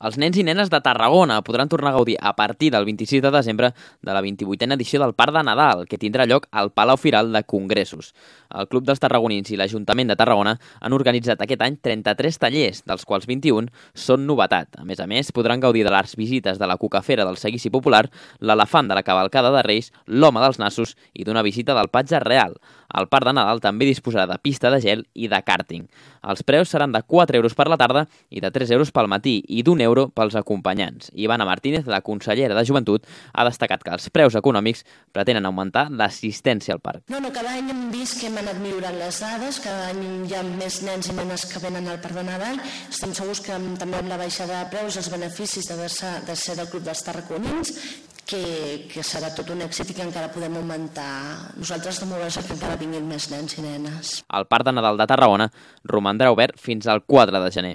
Els nens i nenes de Tarragona podran tornar a gaudir a partir del 26 de desembre de la 28a edició del Parc de Nadal, que tindrà lloc al Palau Firal de Congressos. El Club dels Tarragonins i l'Ajuntament de Tarragona han organitzat aquest any 33 tallers, dels quals 21 són novetat. A més, podran gaudir de les visites de la Cucafera del Seguici Popular, l'elefant de la Cavalcada de Reis, l'Home dels Nassos i d'una visita del Patge Real. El Parc de Nadal també disposarà de pista de gel i de kàrting. Els preus seran de 4 euros per la tarda i de 3 euros pel matí i d'1 € pels acompanyants. Ivana Martínez, la consellera de Joventut, ha destacat que els preus econòmics pretenen augmentar l'assistència al parc. Cada any hem vist que hem anat millorant les dades, cada any hi ha més nens i nenes que venen al Parc de Nadal. Estem segurs que també amb la baixada de preus, els beneficis de ser del Club dels Tarragonins, que serà tot un èxit i que encara podem augmentar. Nosaltres estem oberts que encara vinguin més nens i nenes. El Parc de Nadal de Tarragona romandrà obert fins al 4 de gener.